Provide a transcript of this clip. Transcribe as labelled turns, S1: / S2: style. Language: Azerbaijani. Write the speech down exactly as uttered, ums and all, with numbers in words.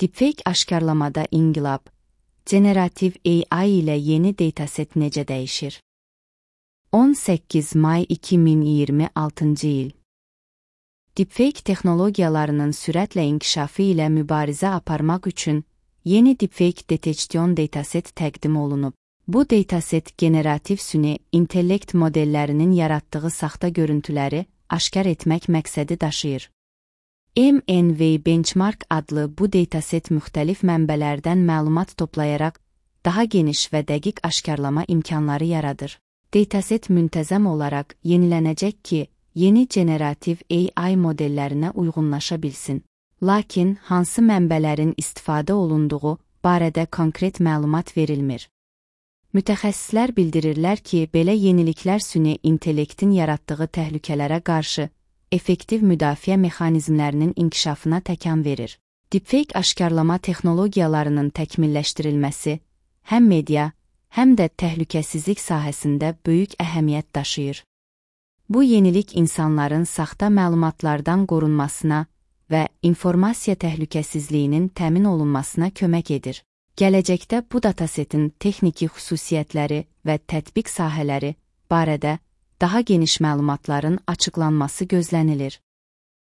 S1: Deepfake aşkarlamada inqilab. Generativ A I ilə yeni dataset necə dəyişir? on səkkiz may iki min iyirmi altıncı il. Deepfake texnologiyalarının sürətlə inkişafı ilə mübarizə aparmaq üçün yeni deepfake detection dataset təqdim olunub. Bu dataset generativ süni intellekt modellərinin yaratdığı saxta görüntüləri aşkar etmək məqsədi daşıyır. M N V Benchmark adlı bu dataset müxtəlif mənbələrdən məlumat toplayaraq daha geniş və dəqiq aşkarlama imkanları yaradır. Dataset müntəzəm olaraq yenilənəcək ki, yeni generativ A I modellərinə uyğunlaşa bilsin. Lakin hansı mənbələrin istifadə olunduğu barədə konkret məlumat verilmir. Mütəxəssislər bildirirlər ki, belə yeniliklər süni intellektin yaratdığı təhlükələrə qarşı effektiv müdafiə mexanizmlərinin inkişafına təkan verir. Deepfake aşkarlama texnologiyalarının təkmilləşdirilməsi həm media, həm də təhlükəsizlik sahəsində böyük əhəmiyyət daşıyır. Bu yenilik insanların saxta məlumatlardan qorunmasına və informasiya təhlükəsizliyinin təmin olunmasına kömək edir. Gələcəkdə bu datasetin texniki xüsusiyyətləri və tətbiq sahələri barədə daha geniş məlumatların açıqlanması gözlənilir.